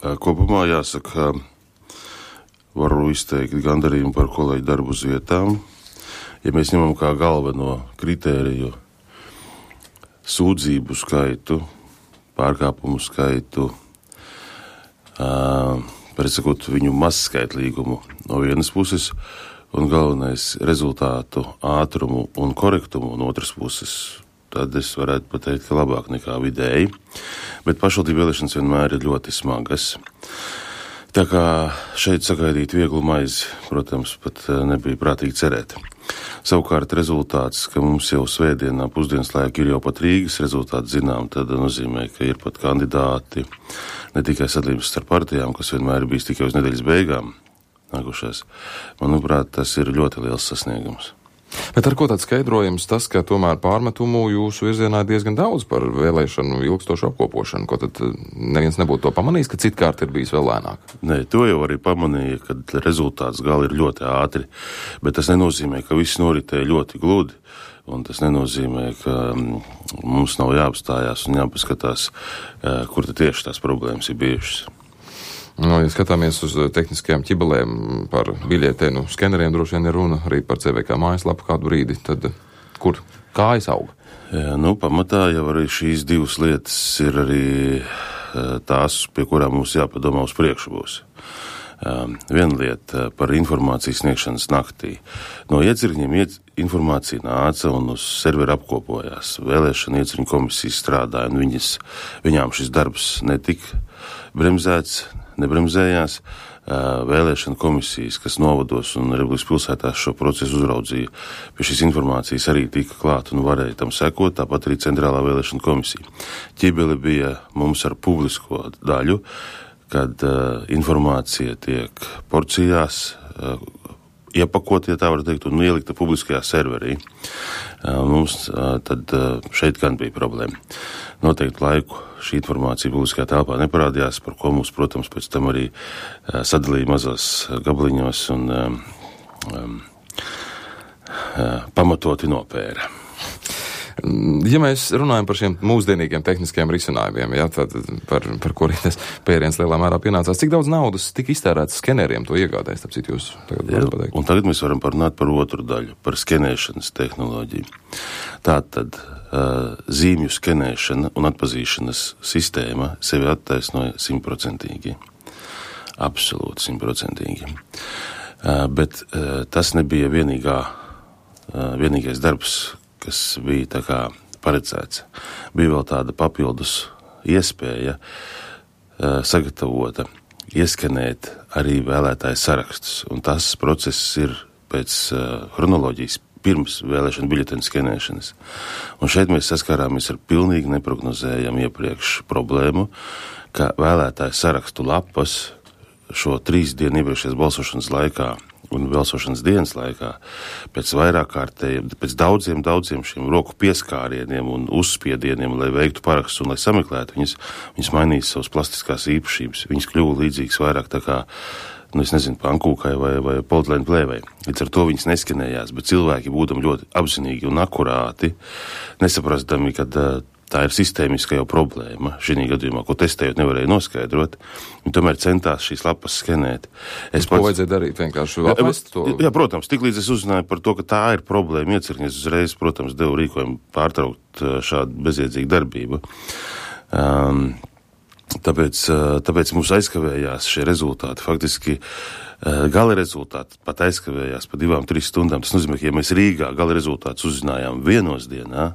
Kopumā jāsaka, varu izteikt gandarījumu par kolēģu darbu uz vietām. Ja mēs ņemam kā galveno kritēriju sūdzību skaitu, pārkāpumu skaitu, precakot viņu mazskaitlīgumu no vienas puses un galvenais rezultātu ātrumu un korektumu no otras puses, tad es varētu pateikt, ka labāk nekā vidēji. Bet pašvaldību vēlēšanas vienmēr ir ļoti smagas. Tā kā šeit sagaidīt vieglu maizi, protams, pat nebija prātīgi cerēt. Savukārt rezultāts, ka mums jau svētdienā pusdienas laika ir jau pat Rīgas rezultāti zinām, tad nozīmē, ka ir pat kandidāti, ne tikai sadalījums starp partijām, kas vienmēr ir bijis tikai uz nedēļas beigām nākušās. Manuprāt, tas ir ļoti liels sasniegums. Bet ar ko tāds skaidrojums tas, ka tomēr pārmetumu jūsu virzienā ir diezgan daudz par vēlēšanu ilgstošu apkopošanu, ko tad neviens nebūtu to pamanījis, ka citkārt ir bijis vēl lēnāk? Nē, to jau arī pamanīja, kad rezultāts gali ir ļoti ātri, bet tas nenozīmē, ka viss noritēja ļoti gludi, un tas nenozīmē, ka mums nav jāapstājās un jāpaskatās, kur tad tieši tās problēmas ir bijušas. Ja skatāmies uz tehniskajām ķibelēm par biļetēnu skeneriem, droši vien ir runa arī par CVK mājaslapu kādu brīdi, tad kur kājas auga? Jā, pamatā jau arī šīs divas lietas ir arī tās, pie kurām mums jāpadomā uz priekšu būs. Viena lieta par informācijas sniegšanas naktī. No iecirkņiem informācija nāca un uz servera apkopojās. Vēlēšana iecirkņu komisijas strādāja, un viņām šis darbs netika bremzēts, nebremzējās. Vēlēšana komisijas, kas novados un Republikas pilsētās šo procesu uzraudzīja, pie šīs informācijas arī tika klāt un varēja tam sekot, tāpat arī Centrālā vēlēšana komisija. Ķibeli bija mums ar publisko daļu, kad informācija tiek porcijās, iepakot, ja tā var teikt, un ielikta publiskajā serverī. Mums tad šeit gan bija problēma. Noteikti laiku šī informācija publiskajā telpā neparādījās, par ko mums, protams, pēc tam arī sadalīja mazos gabaliņos un pamatoti nopēra. Ja mēs runājam par šiem mūsdienīgiem tehniskiem risinājumiem, tad par kuriem tas pēriens lielā mērā pienācās, cik daudz naudas tika iztērēts skeneriem to iegādēs, tāpēc jūs tagad varat pateikt? Un tagad mēs varam parunāt par otru daļu, par skenēšanas tehnoloģiju. Tātad zīmju skenēšana un atpazīšanas sistēma sevi attaisnoja 100%. Absolūti 100%. Bet tas nebija vienīgais darbs, kas bija tā kā paredzēts. Bija vēl tāda papildus iespēja sagatavota, ieskanēt arī vēlētāju sarakstus. Un tas process ir pēc chronoloģijas pirms vēlēšana biļeteņu skenēšanas. Un šeit mēs saskārāmies ar pilnīgi neprognozējumu iepriekš problēmu, ka vēlētāju sarakstu lapas šo 3 dienu iepriekšējās balsošanas laikā un balsošanas dienas laikā pēc daudziem šiem roku pieskārieniem un uzspiedieniem, lai veiktu parakstus un lai sameklētu viņas mainīja savas plastiskās īpašības. Viņas kļuva līdzīgas vairāk tā kā, pankūkai vai poltlēnu plēvei. Līdz ar to viņas neskanējās, bet cilvēki būdami ļoti apzinīgi un akurāti, nesaprastami, kad tā ir sistēmiska jau problēma šī gadījumā, ko testējot nevarēja noskaidrot, un tomēr centās šīs lapas skenēt. Ko vajadzēja darīt? Vienkārši apmest to? Jā, protams, tiklīdz es uzzināju par to, ka tā ir problēma iecirkņi, es uzreiz, protams, devu rīkojumu pārtraukt šādu bezjēdzīgu darbību. Tāpēc mums aizkavējās šie rezultāti. Faktiski gala rezultāti pat aizkavējās pa 2-3 stundām. Tas nozīmē, ka ja mēs Rīgā gala rezultātus uzzinājām 1 dienā,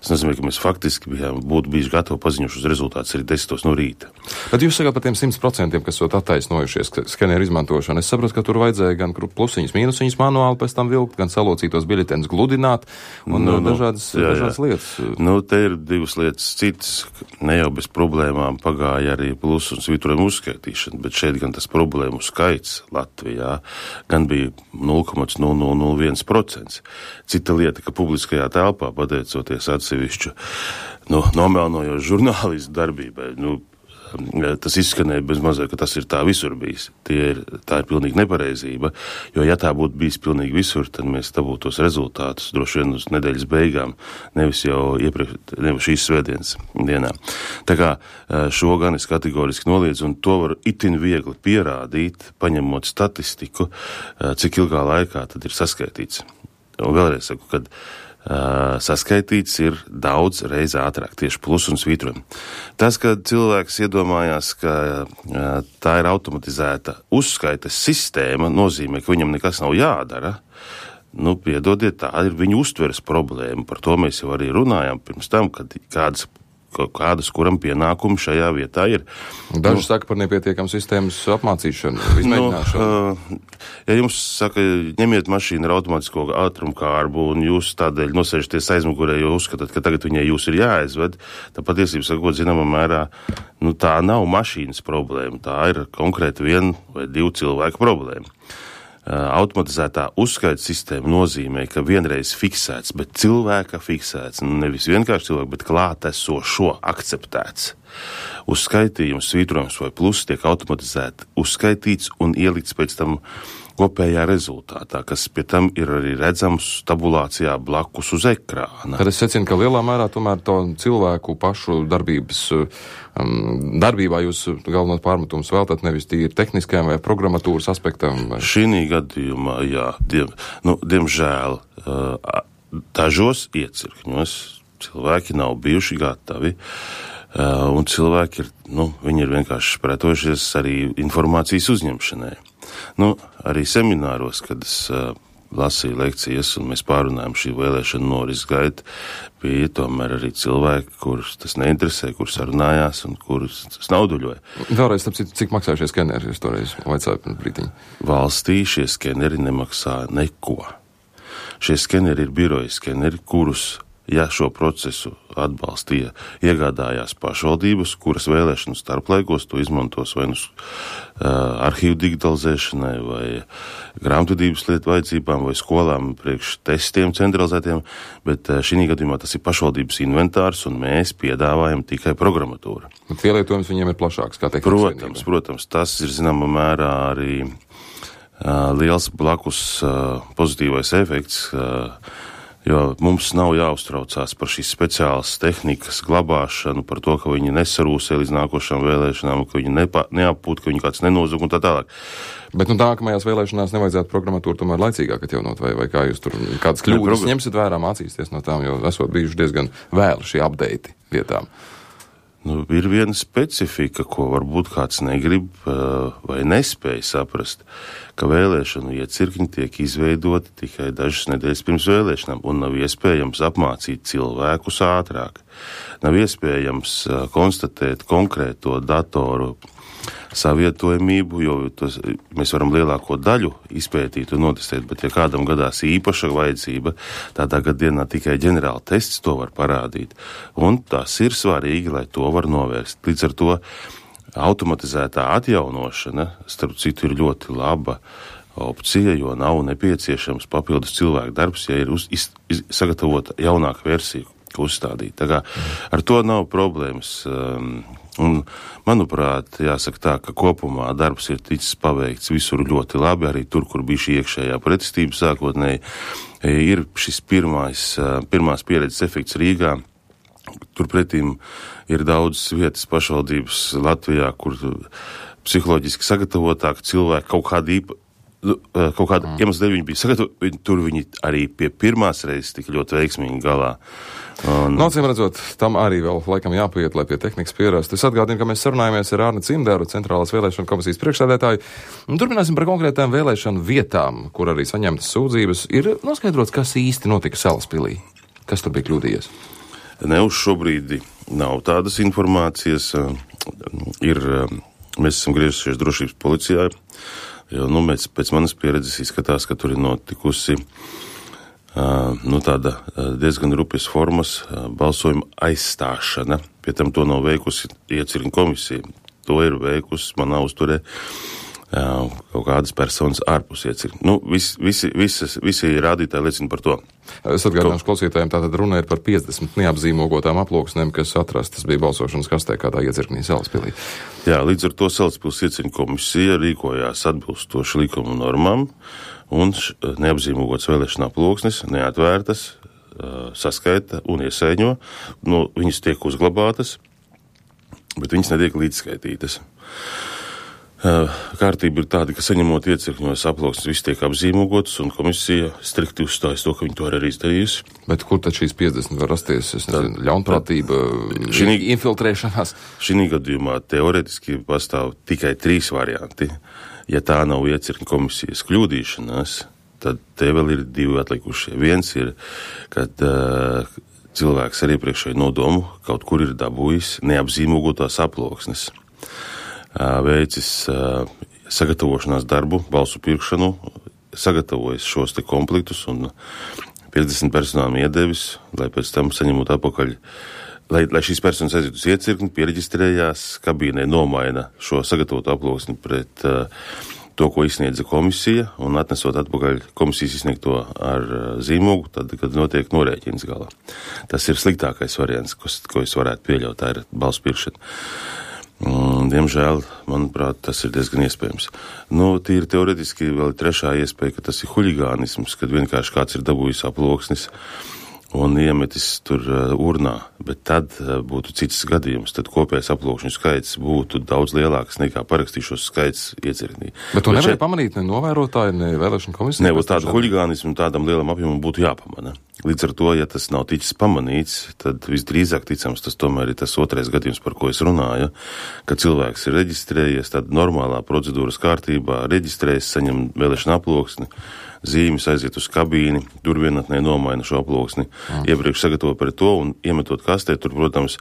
tas nozīmē, ka mēs faktiski būtu bijuši gatavi paziņojuši uz rezultātus arī 10 no rīta. Bet jūs sakāt par tiem 100%, kas esot attaisnojušies skeneru izmantošanu. Es saprotu, ka tur vajadzēja gan plusiņus, mīnusiņus manuāli pēc tam vilkt, gan salocītos biļetenus gludināt un dažādas lietas. Te ir 2 lietas citas. Ne jau bez problēmām pagāja arī plus un svītrojumu uzskaitīšana, bet šeit gan tas problēmu skaits Latvijā gan bija 0,0001%. Cita lieta, ka publiskajā telpā, pateicoties atsevišķu nomelnojošu žurnālistu darbībai, tas izskanēja bez mazliet, ka tas ir tā visur bijis. Tā ir pilnīgi nepareizība, jo ja tā būtu bijis pilnīgi visur, tad mēs dabūtu tos rezultātus droši vien uz nedēļas beigām, nevis jau nevis šīs svētdienas dienā. Tā kā šo gan es kategoriski noliedzu, un to var itin viegli pierādīt, paņemot statistiku, cik ilgā laikā tad ir saskaitīts. Un vēlreiz saku, kad saskaitīts ir daudz reiz ātrāk, tieši plus un svītrojumi. Tas, kad cilvēks iedomājās, ka tā ir automatizēta uzskaites sistēma, nozīmē, ka viņam nekas nav jādara. Piedodiet, tā ir viņu uztveres problēma. Par to mēs jau arī runājām pirms tam, kad kādas kuram pienākumi šajā vietā ir. Daži saka par nepietiekamu sistēmas apmācīšanu, izmēģināšanu. Ja jums saka, ņemiet mašīnu ar automātisko ātrumkārbu un jūs tādēļ nosēžaties aizmugurē, jo uzskatāt, ka tagad viņai jūs ir jāaizved, tad patiesībā sakot, zināmā mērā, tā nav mašīnas problēma, tā ir konkrēti 1 vai 2 cilvēku problēma. Automatizētā uzskaites sistēma nozīmē, ka vienreiz fiksēts, bet cilvēka fiksēts, nevis vienkārši cilvēku, bet klātesošo akceptēts. Uzskaitījums, svītrojums vai plus tiek automatizēti uzskaitīts un ielikts pēc tam kopējā rezultātā, kas pie tam ir arī redzams tabulācijā blakus uz ekrāna. Tad es secinu, ka lielā mērā tomēr to cilvēku pašu darbībā jūs galvenot pārmetumus veltat nevis tīri tehniskajam vai programmatūras aspektam? Vai? Šī gadījumā, jā, diemžēl dažos iecirkņos cilvēki nav bijuši gatavi, un cilvēki viņi ir vienkārši pretojušies arī informācijas uzņemšanai. Arī semināros, kad es lasīju lekcijas un mēs pārunājam šī vēlēšana noris gaitu, bija tomēr arī cilvēki, kurus tas neinteresē, kurus sarunājās un kurus tas nauduļoja. Vēlreiz, cik maksāja šie skeneri, jūs toreiz vaicāju pirms brītiņa? Valstī šie skeneri nemaksā neko. Šie skeneri ir biroja skeneri, kurus, ja šo procesu atbalstīja, iegādājās pašvaldības, kuras vēlēšanu starplaikos to izmantos vai arhīvu digitalizēšanai vai grāmatvedības lietu vajadzībām vai skolām priekš testiem centralizētiem, bet šī gadījumā tas ir pašvaldības inventārs un mēs piedāvājam tikai programmatūru. Pielietojums viņiem ir plašāks, kā teikt? Protams, tas ir zināmā mērā arī liels blakus pozitīvais efekts, jo mums nav jāuztraucās par šīs speciālas tehnikas glabāšanu, par to, ka viņi nesarūsē līdz nākošām vēlēšanām, ka viņi neapūt, ka viņi kāds nenozug un tā tālāk. Bet nākamajās vēlēšanās nevajadzētu programmatūru tomēr laicīgāk atjaunot, vai kā jūs tur kādas kļūdas ņemsiet vērā, mācīsties no tām, jo esot bijuši diezgan vēlu šī update vietām. Ir viena specifika, ko varbūt kāds negrib vai nespēja saprast, ka vēlēšanu iecirkņi tiek izveidoti tikai dažas nedēļas pirms vēlēšanām un nav iespējams apmācīt cilvēkus ātrāk. Nav iespējams konstatēt konkrēto datoru savietojamību, jo mēs varam lielāko daļu izpētīt un notestēt, bet ja kādam gadās īpaša vajadzība, tādā gadienā tikai ģenerāla tests to var parādīt. Un tas ir svarīgi, lai to var novērst. Līdz ar to automatizētā atjaunošana, starp citu, ir ļoti laba opcija, jo nav nepieciešams papildus cilvēku darbs, ja ir sagatavota jaunāka versija, ko uzstādīt. Tā kā ar to nav problēmas. Un, manuprāt, jāsaka tā, ka kopumā darbs ir ticis paveikts visur ļoti labi, arī tur, kur bija šī iekšējā pretestība sākotnēji, ir šis pirmās pieredzes efekts Rīgā. Turpretīm ir daudz vietas pašvaldības Latvijā, kur psiholoģiski sagatavotāk cilvēki kaut kāda iemesla dēļ viņi bija sagatavoti, tur viņi arī pie pirmās reizes tika ļoti veiksmīgi galā. Acīm redzot, tam arī vēl laikam jāpaiet, lai pie tehnikas pierastu. Es atgādinu, ka mēs sarunājamies ar Arni Cimderu, Centrālās vēlēšanu komisijas priekšsēdētāju, un turpināsim par konkrētām vēlēšanu vietām, kur arī saņemtas sūdzības. Ir noskaidrots, kas īsti notika Salaspilī. Kas tur bija kļūdījies? Uz šobrīd nav tādas informācijas. Mēs esam griezušies drošības policijā, jo pēc manas pieredzes izskatās, ka tur ir notikusi tāda diezgan rupjas formas balsojuma aizstāšana. Pie tam to nav veikusi iecirkņu komisija. To ir veikusi manā uzturē kaut kādas personas ārpus iecirkņa. Nu, visi rādītāji liecina par to. Es atgādināšu klausītājiem, tātad runa ir par 50 neapzīmogotām aploksnēm, kas atrastas bija balsošanas kastē kādā iecirknī Salaspilī. Jā, līdz ar to Salaspils iecirkņa komisija rīkojās atbilstoši likuma normām, un neapzīmogotas vēlēšana aploksnes neatvērtas, saskaita un iesaiņo. Nu, viņas tiek uzglabātas, bet viņas netiek līdzskaitītas. Kārtība ir tāda, ka saņemot iecirkņos aploksnes, viss tiek apzīmogotas, un komisija strikti uzstājas to, ka viņi to arī izdarījusi. Bet kur tad šīs 50 var rasties? Es nezinu, ļaunprātība, infiltrēšanās? Šī gadījumā teoretiski pastāv tikai 3 varianti. Ja tā nav iecirkņa komisijas kļūdīšanās, tad te vēl ir 2 atlikušie. Viens ir, kad cilvēks ar iepriekšēju nodomu kaut kur ir dabūjis neapzīmogotās aploksnes. Veicis sagatavošanās darbu, balsu pirkšanu, sagatavojis šos te komplektus un 50 personām iedevis, lai pēc tam saņemot atpakaļ, lai šīs personas aiziet uz iecirkni, piereģistrējās, kabīnē nomaina šo sagatavotu aploksni pret to, ko izsniedza komisija, un atnesot atpakaļ komisijas izsniegto ar zīmogu, tad, kad notiek norēķins galā. Tas ir sliktākais variants, ko es varētu pieļaut, tā ir balsu pirkšana. Diemžēl, manuprāt, tas ir diezgan iespējams. Nu, tīri teoretiski vēl ir 3. iespēja, ka tas ir huligānisms, kad vienkārši kāds ir dabūjis aploksnis un iemetis tur urnā, bet tad būtu cits gadījums, tad kopējais aploksņu skaits būtu daudz lielāks nekā parakstīšos skaits iecirknī. Bet to nevarēja pamanīt ne novērotāji, ne vēlēšana komisija? Ne, tādu huligānismu tādam lielam apjomam būtu jāpamana. Līdz ar to, ja tas nav ticis pamanīts, tad visdrīzāk ticams tas tomēr ir tas 2. gadījums, par ko es runāju, ka cilvēks ir reģistrējies, tad normālā procedūras kārtībā reģistrējas, saņem vēlēšana aploksni, zīmes aiziet uz kabīni, tur vienatnē nomaina šo aploksni, iepriekš sagatavo par to un iemetot kastē, tur, protams,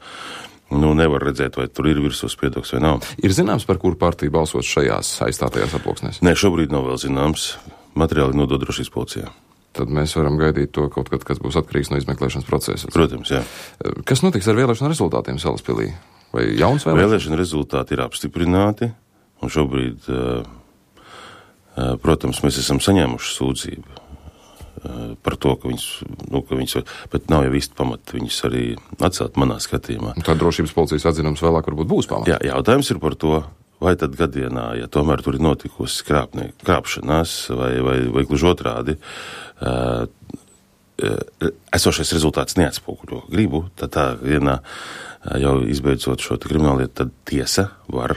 nevar redzēt, vai tur ir virsū spiedoks vai nav. Ir zināms, par kuru partiju balsot šajās aizstātajās aploksnēs? Nē, šobrīd nav vēl zināms. Materiāli nodod drošības policijā. Tad mēs varam gaidīt to kaut kad, kas būs atkarīgs no izmeklēšanas procesa. Protams, jā. Kas notiks ar vēlēšanu rezultātiem Salaspilī? Vai jauns vēlēšanas? Vēlēšana rezultāti ir apstiprināti, un šobrīd, protams, mēs esam saņēmuši sūdzību par to, ka viņas, bet nav jau īsti pamata viņas arī atcelt manā skatījumā. Tā drošības policijas atzinums vēlāk varbūt būs pamata. Jā, jautājums ir par to, vai tad gadienā, ja tomēr tur ir notikusi krāpšanās vai gluži otrādi, esošais rezultāts neatspoguļo gribu, tad tā vienā jau izbeidzot šo krimināllietu, tad tiesa var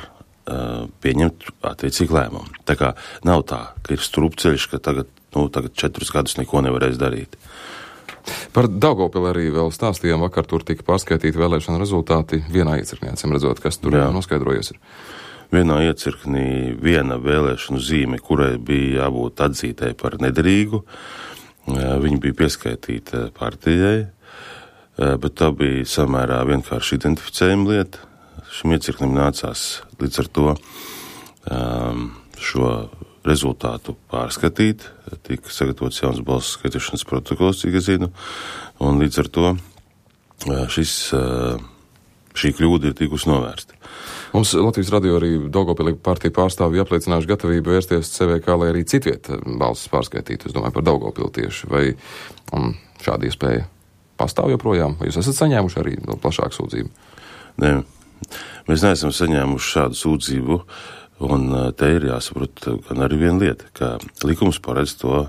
pieņemt attiecīgi lēmumu. Tā kā nav tā, ka ir strupceļš, ka tagad 4 gadus neko nevarēs darīt. Par Daugavpili arī vēl stāstījām, vakar tur tika pārskaitīti vēlēšana rezultāti vienā iecirkņā, redzot, kas tur noskaidrojies ir. Vienā iecirknī viena vēlēšanu zīme, kurai bija jābūt atzītē par nederīgu, viņa bija pieskaitīta partijai, bet tā bija samērā vienkārši identificējuma lieta. Šim iecirknim nācās līdz ar to šo rezultātu pārskatīt, tika sagatavots jauns balsu skaitīšanas protokols, cik es zinu, un līdz ar to šī kļūda ir tikusi novērsta. Mums Latvijas radio arī Daugavpilī partija pārstāvji apliecinājuši gatavību vērsties CVK, lai arī citviet balsis pārskaitītu. Es domāju par Daugavpili tieši. Vai šāda iespēja pastāv joprojām? Vai jūs esat saņēmuši arī plašāku sūdzību? Nē, mēs neesam saņēmuši šādu sūdzību, un te ir jāsaprot gan arī viena lieta, ka likums paredz to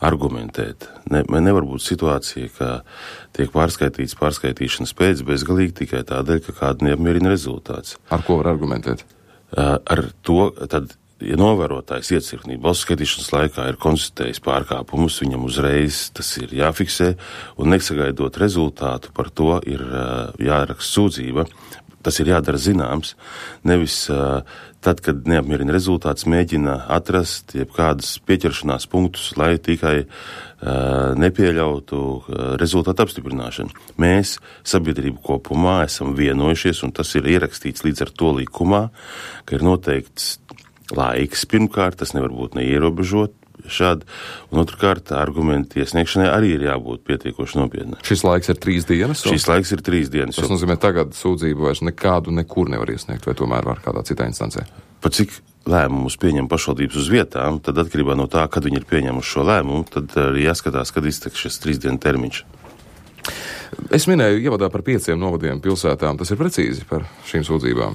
argumentēt. Nevar būt situācija, ka tiek pārskaitīts pārskaitīšanas pēc bezgalīgi tikai tādēļ, ka kāda neapmierina rezultāts. Ar ko var argumentēt? Ar to, tad, ja novērotājs iecirknī balsu skaitīšanas laikā ir konstatējis pārkāpumus, viņam uzreiz tas ir jāfiksē, un nesagaidot rezultātu par to ir jāraksta sūdzība. Tas ir jādara zināms, nevis tad, kad neapmierina rezultāts, mēģina atrast jebkādas pieķeršanās punktus, lai tikai nepieļautu rezultātu apstiprināšanu. Mēs, sabiedrību kopumā, esam vienojušies, un tas ir ierakstīts līdz ar to likumā, ka ir noteikts laiks pirmkārt, tas nevar būt neierobežot šādi, un otrkārt argumentu iesniegšanai arī ir jābūt pietiekoši nopietnai. Šis laiks ir 3 dienas? Šis laiks ir 3 dienas. Tas nozīmē, tagad sūdzību vairs nekādu nekur nevar iesniegt, vai tomēr var kādā citā instancē? Pat cik lēmumus pieņem pašvaldības uz vietām, tad atkarībā no tā, kad viņi ir pieņēmuši šo lēmumu, tad arī jāskatās, kad izteks šis 3 dienu termiņš. Es minēju ievadā par 5 novadiem pilsētām. Tas ir precīzi par šīm sūdzībām.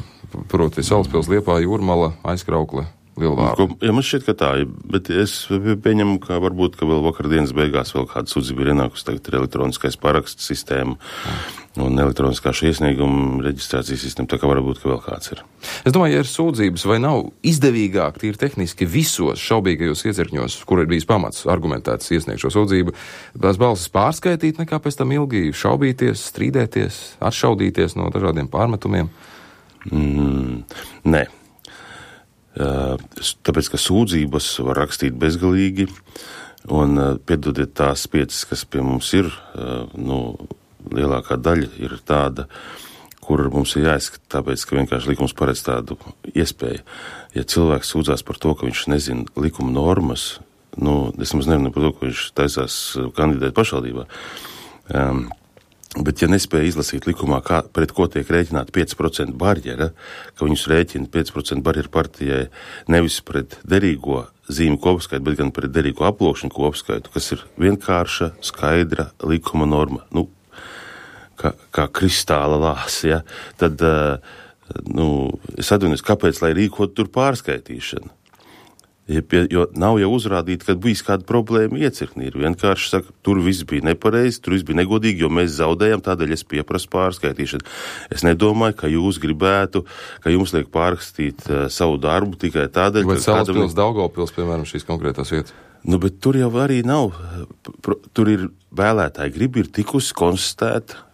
Proti Salaspils, Liepāja, Jūrmala, Aizkraukle, Lielvārda. Ja man šķiet, ka tā ir, bet es pieņemu, ka varbūt, ka vēl vakardienas beigās vēl kāda sūdzība ir ienākusi, tagad ir elektroniskais paraksts sistēma un elektroniskā šī iesnieguma reģistrācijas sistēma, tā kā varbūt, ka vēl kāds ir. Es domāju, ja ir sūdzības, vai nav izdevīgāk tīri tehniski visos šaubīgajos iecirkņos, kur ir bijis pamats argumentēts iesniegt šo sūdzību, tās balsis pārskaitīt, nekā pēc tam ilgi šaubīties, strīdēties, atšaudīties no dažādiem pārmetumiem? Nē. Tāpēc, ka sūdzības var rakstīt bezgalīgi, un piedodiet tās 5, kas pie mums ir, lielākā daļa ir tāda, kur mums ir jāizskata, tāpēc, ka vienkārši likums paredz tādu iespēju. Ja cilvēks sūdzās par to, ka viņš nezina likuma normas, es nemaz nerunāju par to, ka viņš taisās kandidēt pašvaldībā, bet ja nespēja izlasīt likumā, pret ko tiek rēķināta 5% barjera, ka viņus rēķina 5% barjera partijai nevis pret derīgo zīmju kopskaitu, bet gan pret derīgo aploksņu kopskaitu, kas ir vienkārša, skaidra likuma norma, kā kristāla lās, ja, tad, es atvainojos, kāpēc, lai rīkot tur pārskaitīšanu? Jo nav jau uzrādīt, kad bijis kāda problēma iecirknī. Ir vienkārši saka, tur viss bija nepareizi, tur viss bija negodīgi, jo mēs zaudējām, tādēļ es pieprasu pārskaitīšanu. Es nedomāju, ka jūs gribētu, ka jums liek pārrakstīt savu darbu tikai tādēļ, ka Salaspils, Daugavpils, piemēram, šīs konkrētās vietas. Bet tur jau arī nav. Tur ir vēlētāji griba ir tikusi konstatēta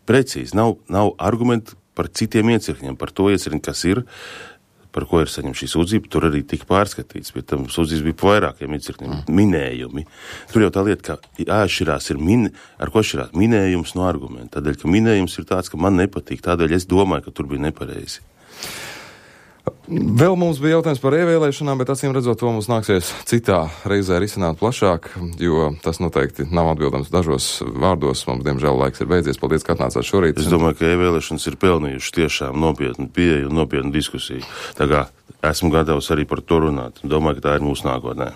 precīzi. Nav argumenti par citiem iecirkņiem, par to iecirkņu, kas ir, par ko ir saņemta šī sūdzība, tur arī tika pārskatīts, bet tam sūdzības bija pa vairākiem iecirkņiem, minējumi. Tur jau tā lieta, ka jāatšķirās ar ko atšķirās minējums no argumenta. Tādēļ, ka minējums ir tāds, ka man nepatīk, tādēļ es domāju, ka tur bija nepareizi. Vēl mums bija jautājums par ievēlēšanām, bet acīm redzot, to mums nāksies citā reizē risināt plašāk, jo tas noteikti nav atbildams dažos vārdos. Mums, diemžēl, laiks ir beidzies. Paldies, ka atnācāt šorīt. Es domāju, ka ievēlēšanas ir pelnījušas tiešām nopietnu pieeju un nopietnu diskusiju. Tā kā esmu gatavs arī par to runāt. Domāju, ka tā ir mūsu nākotnē.